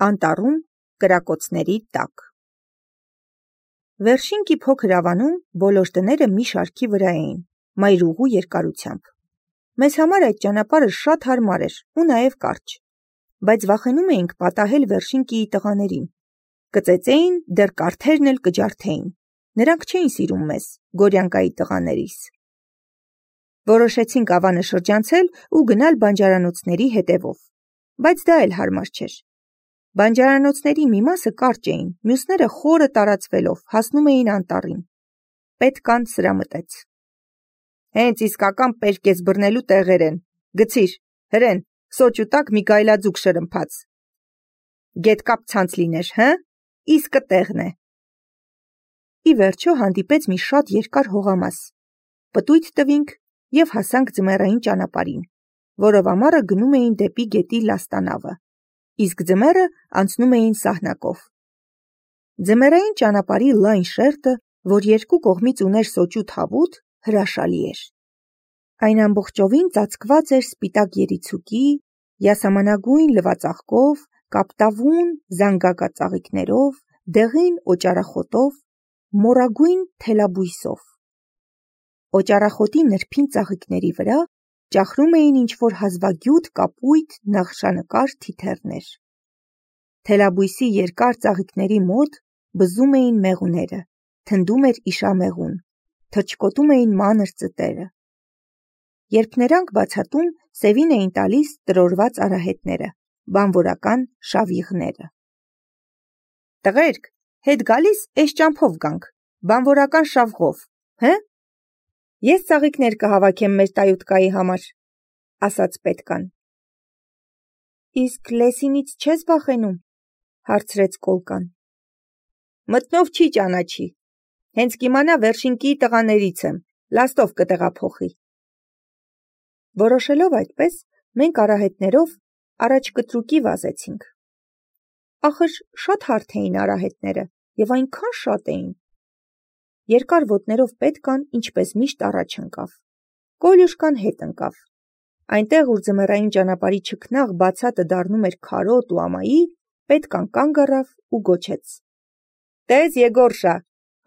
Անտառում կրակոցների տակ։ Վերշինքի փոքր ավանում բոլոր տները մի շարքի վրա էին, մայրուղու երկարությամբ։ Մեզ համար այդ ճանապարհը շատ հարմար էր ու նաև կարճ, բայց վախենում էինք պատահել Վերշինկիի տղաներին։ Կծեծեին, դեռ կարթերն էլ կջարդեին։ Նրանք չէին սիրում մեզ, Գորյանկայի տղաներիս։ Որոշեցինք ավանը շրջանցել ու գնալ բանջարանոցների հետևով, բայց դա էլ հարմար չէր։ Բանջարանոցների մի մասը կարճ էին, մյուսները խորը տարածվելով հասնում էին անտառին։ Պետքան սրամտեց։ Հենց իսկական պերկես բռնելու տեղեր են, գցիր, հրեն, սոճու տակ մի գայլաձուկ շրմփաց։ Գետկապ ցանց լիներ, հը, իսկը տեղն է։ Ի վերջո հանդիպեց մի շատ երկար հողամաս, պտույտ տվինք և հասանք ձմեռային ճանապարհին, որով ամառը գնում էին դեպի գետի լաստանավը, իսկ ձմեռը անցնում էին սահնակով։ Ձմեռային ճանապարհի լայն շերտը, որ երկու կողմից ուներ սոճու թավուտ, հրաշալի էր։ Այն ամբողջովին ծածկված էր սպիտակ երիցուկի, յասամանագույն լվածաղկով, կապտավուն զանգակածաղիկներով, դեղին օճառախոտով, մորագույն թելաբույսով։ Օճառախոտի նրբին ծաղիկների վրա ճախրում էին ինչ-որ հազվագյուտ կապույտ նախշանկար թիթեռներ։ Թելաբույսի երկար ծաղիկների մոտ բզում էին մեղուները, թնդում էր իշամեղուն, թռչկոտում էին մանր ծտերը։ Երբ նրանք բացատում, սևին էին տալիս տրորված արահետները, բանվորական շավիղները։ Տղերք, հետ գալիս էս ճամփով գանք, բանվորական շավղով, հը։ Ես ծաղիկներ կհավաքեմ մեր տայութկայի համար, ասաց պետքան։ Իսկ լեսինից չես վախենում, հարցրեց կոլկան։ Մտնով չի ճանաչի, հենց կիմանա Վերշինկիի տղաներից եմ, լաստով կտեղափոխի։ Որոշելով այդպես, մենք արահետներով առաջ կտրուկի վազեցինք։ Ախր շատ հարթ էին արահետները և այնքան շատ էին։ Երկար ոտներով պետքան ինչպես միշտ առաջ ընկավ։ Կոլյուշկան հետ ընկավ։ Այնտեղ, ուր ձմեռային ճանապարհի չքնաղ բացատը դառնում էր քարոտ ու ամայի, պետքան կանգ առավ ու գոչեց. Տես Եգորշա,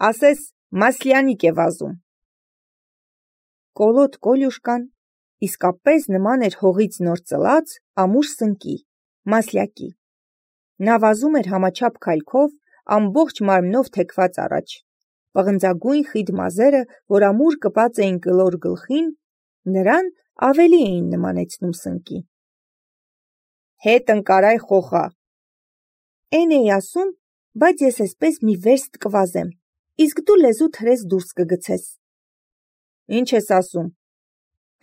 ասես Մասլյանիկ է վազում։ Կոլոտ Կոլյուշկան իսկապես նման էր հողից նոր ծլած ամուր սնկի, Մասլյակի։ Նա վազում էր համաչափ քայլքով, ամբողջ մարմնով թեքված առաջ։ Պղնձագույն խիտ մազերը, որ ամուր կպած էին կլոր գլխին, նրան ավելի էին նմանեցնում սնկի։ Հետ ընկարայ խոխա։ Էն էի ասում, բայց ես էսպես մի վերստ կվազեմ, իսկ դու լեզուդ հրես դուրս կգցես։ Ինչ ես ասում։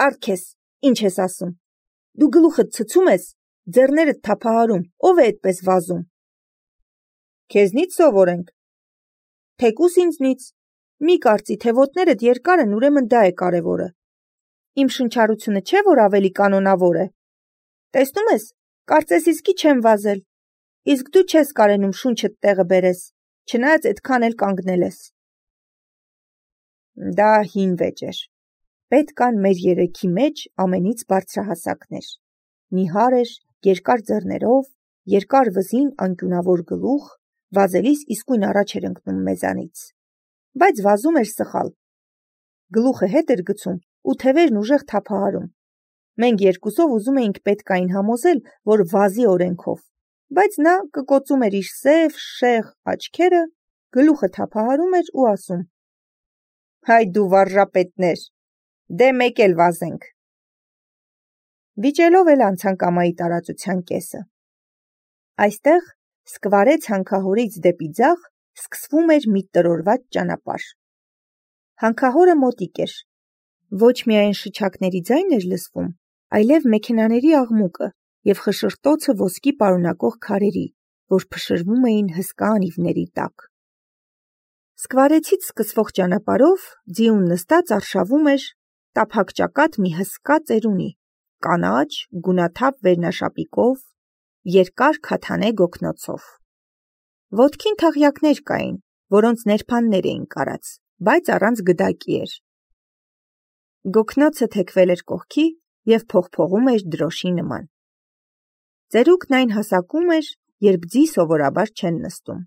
Արգես, ինչ ես ասում։ Դու գլուխդ ցցում ես, ձեռներդ թափահարում, ով է այդպես վազում։ Քեզնից սովորենք։ Թեկուս ինձնից։ Մի կարծի, թե ոտներդ երկար են, ուրեմն դա է կարևորը։ Իմ շնչառությունը չէ, որ ավելի կանոնավոր է։ Տեսնում ես, կարծես իսկի չեմ վազել։ Իսկ դու չես կարենում շունչդ տեղը բերես, չնայած այդքան էլ կանգնել ես։ Դա հին վեճ էր։ Պետքան մեր երեքի մեջ ամենից բարձրահասակն էր։ Նիհար էր, երկար ձեռներով, երկար վզին անկյունավոր գլուխ, վազելիս իսկույն առաջ էր ընկնում մեզանից։ Բայց վազում էր սխալ։ Գլուխը հետ էր գցում ու թևերն ուժեղ թափահարում։ Մենք երկուսով ուզում էինք պետքային համոզել, որ վազի օրենքով, բայց նա կկոծում էր իր սև, շեղ աչքերը, գլուխը թափահարում էր ու ասում. Հայ դու վարժապետներ, դե մեկ էլ վազենք։ Վիճելով էլ անցանք ամայի տարածության կեսը։ Այստեղ, Սկվարե հանքահորից դեպի ձախ, սկսվում էր մի տրորված ճանապարհ։ Հանքահորը մոտիկ էր։ Ոչ միայն շչակների ձայն էր լսվում, այլև մեքենաների աղմուկը և խշշտոցը ոսկի պարունակող քարերի, որ փշրվում էին հսկա անիվների տակ։ Սկվարեցից սկսվող ճանապարհով ձիուն նստած արշավում էր տափակ ճակատ մի հսկա ծերունի, կանաչ, գունաթափ վերնաշապիկով, երկար քաթանե գոգնոցով։ Ոտքին թաղյակներ կային, որոնց ներփաններ էին կարած, բայց առանց գդակի էր։ Գոգնոցը թեքվել էր կողքի և փողփողում էր դրոշի նման։ Ծերուկն այն հասակում էր երբ ձի սովորաբար չեն նստում։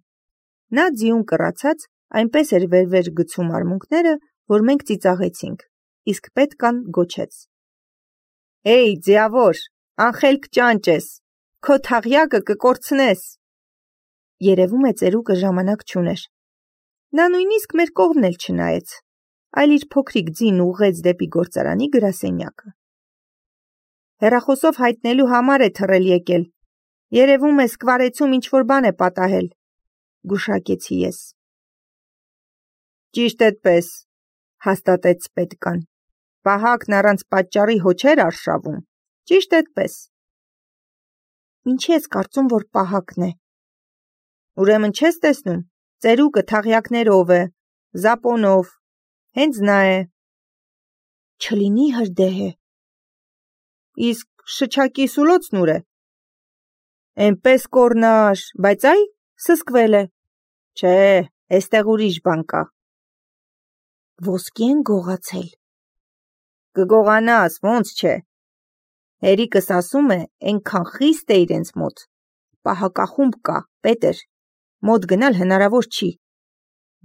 Նա ձիուն կռացած այնպես էր վեր-վեր գցում արմունկները, որ մենք ծիծաղեցինք, իսկ պետքան գոչեց. «Էյ, ձիավոր, անխելք ճանճ ես, քո թաղյակը կկորցնես»։ Երևում է ծերուկը ժամանակ չուներ։ Նա նույնիսկ մեր կողմն էլ չնայեց, այլ իր փոքրիկ ձին ուղղեց դեպի գործարանի գրասենյակը։ Հեռախոսով հայտնելու համար է թռել եկել։ Երևում է սկվարեցում ինչ-որ բան է պատահել, գուշակեցի ես։ Ճիշտ էդպես, հաստատեց պետքան։ Պահակն առանց պատճառի հո չէր արշավում, ճիշտ էդպես։ Ինչի ես կարծում, որ պահակն է։ Ուրեմն չես տեսնում, ծերուկը թաղյակներով է, զապոնով, հենց նա է։ Չլինի հրդեհ է։ Իսկ շչակի սուլոցն ուր է։ Էնպես կորնար, բայց այ սսկվել է։ Չէ, էստեղ ուրիշ բան կա։ Ոսկի են գողացել։ Կգողանաս, ոնց չէ։ Հերիկս ասում է, այնքան խիստ է իրենց մոտ։ Պահակախումբ կա, Պետր, մոտ գնալ հնարավոր չի։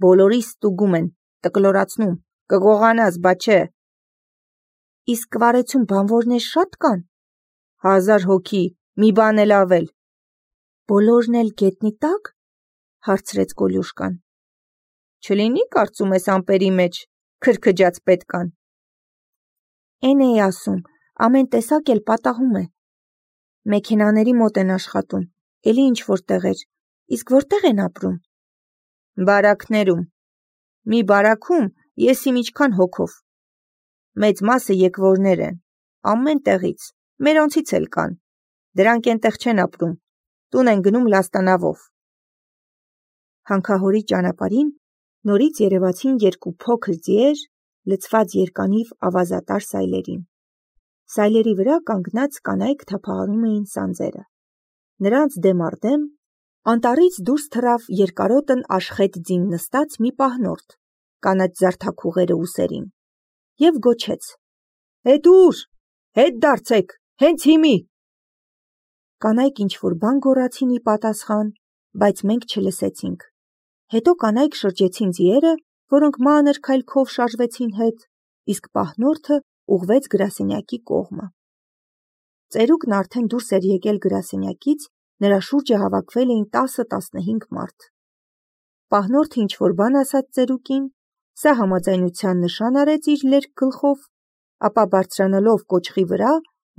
Բոլորիս ստուգում են, տկլորացնում, կգողանաս, բա չէ։ Իսկ սկվարեցում բանվորներ շատ կան։ 1000 հոգի, մի բան էլ ավել։ Բոլորն էլ գետնի տակ, հարցրեց Կոլյուշկան։ Չլինի կարծում ես ամպերի մեջ, քրքջաց պետքան։ Էն էի ասում, ամեն տեսակ էլ պատահում է։ Մեքենաների մոտ են աշխատում, էլի ինչ որ տեղեր, իսկ որտեղ են ապրում։ Բարակներում։ Մի բարաքում ես իմ ինչքան հոգով։ Մեծ մասը եկվորներ են, ամեն տեղից, մերոնցից էլ կան, դրանք ենտեղ չեն ապրում, տուն են գնում լաստանավով։ Հանքահորի ճանապարհին նորից երևացին երկու փոքր ձիեր, լցված երկանիվ ավազատար սայլերին։ Սայլերի վրա կանգնած կանայք թափահարում էին սանձերը։ Նրանց դեմ առ դեմ անտառից դուրս թռավ երկարոտն աշխետ ձին նստած մի պահնորդ, կանաչ զարդաքուղերը ուսերին, և գոչեց. Հետ ուր, հետ դարձեք, հենց հիմի։ Կանայք ինչ-որ բան գոռացին ի պատասխան, բայց մենք չլսեցինք։ Հետո կանայք շրջեցին ձիերը, որոնք մանր քայլքով շարժվեցին հետ, իսկ պահնորդը ուղղվեց գրասենյակի կողմը։ Ծերուկն արդեն դուրս էր եկել գրասենյակից, նրա շուրջը հավաքվել էին 10-15 մարդ։ Պահնորդը ինչ-որ բան ասաց ծերուկին, սա համաձայնության նշան արեց իր լերկ գլխով, ապա բարձրանալով կոճղի վրա,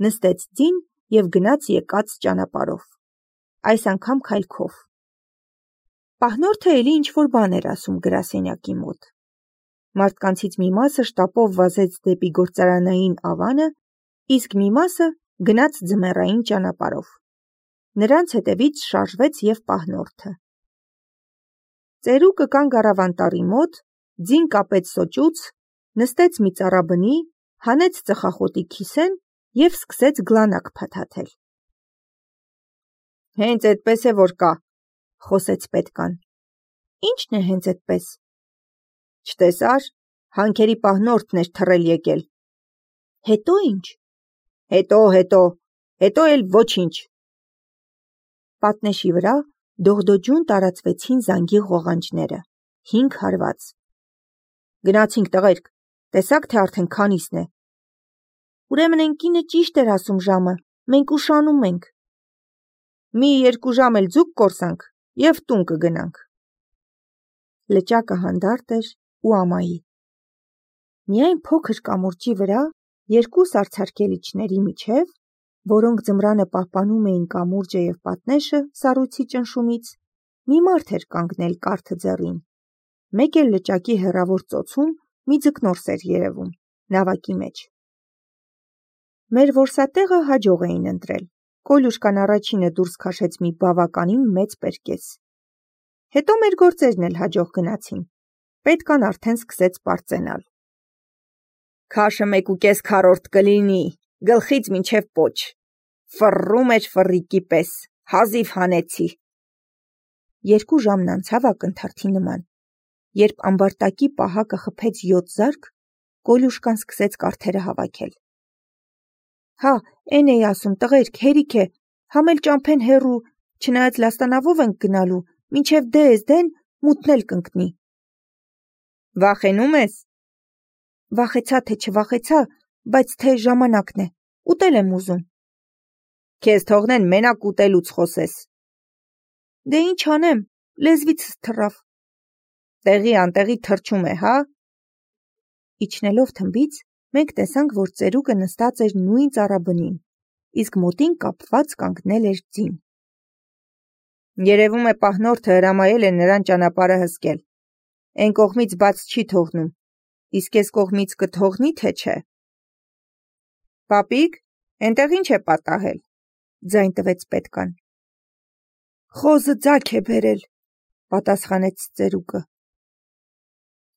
նստեց ձին և գնաց եկած ճանապարհով, այս անգամ քայլքով։ Պահնորդը էլի ինչ-որ բան էր ասում գրասենյակի մոտ։ Մարդկանցից մի մասը շտապով վազեց դեպի գործարանային ավանը, իսկ մի մասը գնաց ձմեռային ճանապարհով։ Նրանց հետևից շարժվեց և պահնորդը։ Ծերուկը կանգ առավ անտառի մոտ, ձին կապեց սոճուց, նստեց մի ծառաբնի, հանեց ծխախոտի քիսեն և սկսեց գլանակ փաթաթել։ Հենց այդպես է որ կա, խոսեց պետքան։ Ի՞նչն է հենց այդպես։ Չտեսար, հանքերի պահնորդն էր թռել եկել։ Հետո ինչ։ Հետո էլ ոչինչ։ Պատնեշի վրա դողդոջուն տարածվեցին զանգի ղողանջները, 5 հարված։ Գնացինք տղերք, տեսաք թե արդեն քանիսն է։ Ուրեմն այն կինը ճիշտ էր ասում ժամը, մենք ուշանում ենք։ Մի 2 ժամ էլ ձուկ կորսանք և տուն կգնանք։ Լճակը հանդարտ էր ու ամայի։ Միայն փոքր կամուրջի վրա, 2 սառցարկելիչների միջև, որոնք ձմռանը պահպանում էին կամուրջը և պատնեշը սառույցի ճնշումից, մի մարդ էր կանգնել կարթը ձեռին։ Մեկ էլ լճակի հեռավոր ծոցում մի ձկնորս էր երևում, նավակի մեջ։ Մեր որսատեղը հաջող էին ընտրել։ Կոլյուշկան առաջինը դուրս քաշեց մի բավականին մեծ պերկես։ Հետո մեր գործերն էլ հաջող գնացին։ Պետքան արդեն սկսեց պարծենալ։ Քաշը 1.5 քառորդ կլինի, գլխից մինչև պոչ։ Ֆռռում էր ֆռռիկի պես, հազիվ հանեցի։ 2 ժամն անցավ ակնթարթի նման։ Երբ ամբարտակի պահակը խփեց 7 զարկ, Կոլյուշկան սկսեց կարթերը հավաքել։ Հա, էն էի ասում, տղերք, հերիք է, համ էլ ճամփեն հեռու, չնայած լաստանավով ենք գնալու, մինչև դեն մութն էլ կընկնի։ Վախենում ես։ Վախեցա թե չվախեցա, բայց թե ժամանակն է, ուտել եմ ուզում։ Քեզ թողնեն մենակ ուտելուց խոսես։ Դե ինչ անեմ, լեզվիցս թռավ։ Տեղի անտեղի թռչում է, հա։ Իջնելով թմբից, մենք տեսանք, որ ծերուկը նստած էր նույն ծառաբնին, իսկ մոտին կապված կանգնել էր ձին։ Երևում է պահնորդը հրամայել է նրան ճանապարհը հսկել։ Էն կողմից բաց չի թողնում, իսկ էս կողմից կթողնի, թե չէ։ Պապիկ, էնտեղ ինչ է պատահել, ձայն տվեց պետկան։ Խոզը ձագ է բերել, պատասխանեց ծերուկը։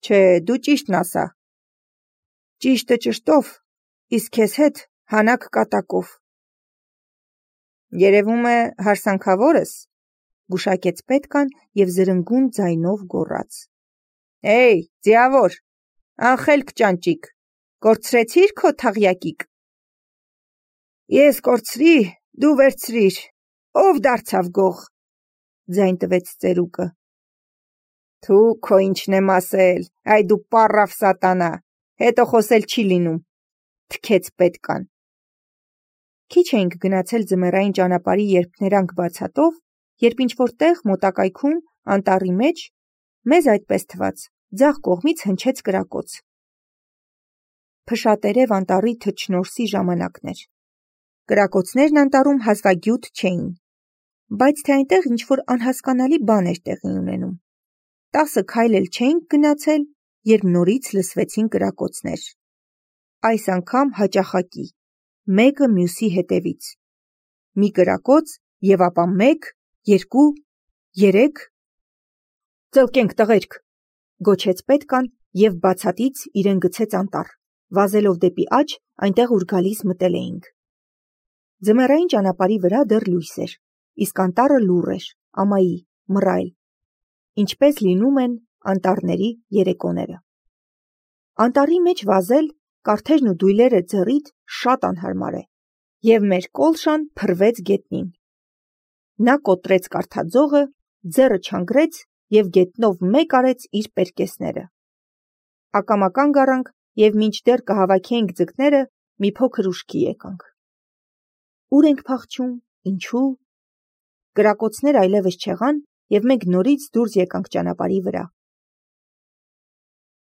Չէ, դու ճիշտն ասա։ Ճիշտը ճշտով, իսկ քեզ հետ հանակ կատակով։ Երևում է հարսանքավոր ես, գուշակեց պետկան և զրնգուն ձայնով գոռաց. Էյ, ձիավոր, անխելք ճանճիկ, կորցրեցի՞ր քո թաղյակիկ։ Ես կորցրի, դու վերցրիր, ով դարձավ գող, ձայն տվեց ծերուկը։ Թու քո ինչն եմ ասել, այ դու պառավ սատանա, հետո խոսել չի լինում, թքեց պետկան։ Քիչ էինք գնացել ձմեռային ճանապարհի երփներանգ բացատով, երբ ինչ-որ տեղ մոտակայքում անտառի մեջ, մեզ այդպես թվաց, ձախ կողմից հնչեց կրակոց։ Փշատերև անտառի թռչնորսի ժամանակն էր։ Կրակոցներն անտառում հազվագյուտ չէին, բայց թե այնտեղ ինչ-որ անհասկանալի բան էր տեղի ունենում։ 10 քայլ էլ չէինք գնացել, երբ նորից լսվեցին կրակոցներ։ Այս անգամ հաճախակի, մեկը մյուսի հետևից։ Մի կրակոց և ապա 1, 2, 3… Ծլկենք տղերք, գոչեց պետկան և բացատից իրեն գցեց անտառ, վազելով դեպի աջ, այնտեղ ուր գալիս մտել էինք։ Ձմեռային ճանապարհի վրա դեռ լույս էր, իսկ անտառը լուռ էր, ամայի, մռայլ, ինչպես լինում են անտառների երեկոները։ Անտառի մեջ վազել, կարթերն ու դույլերը ձեռիդ շատ անհարմար է, և մեր կոլշան փռվեց գետնին։ Նա կոտրեց կարթաձողը, ձեռը չանգրեց և գետնով մեկ արեց իր պերկեսները։ Ակամա կանգ առանք և մինչդեռ կհավաքեինք ձկները, մի փոքր ուշքի եկանք։ Ուր ենք փախչում, ինչու։ Կրակոցներ այլևս չեղան, և մենք նորից դուրս եկանք ճանապարհի վրա։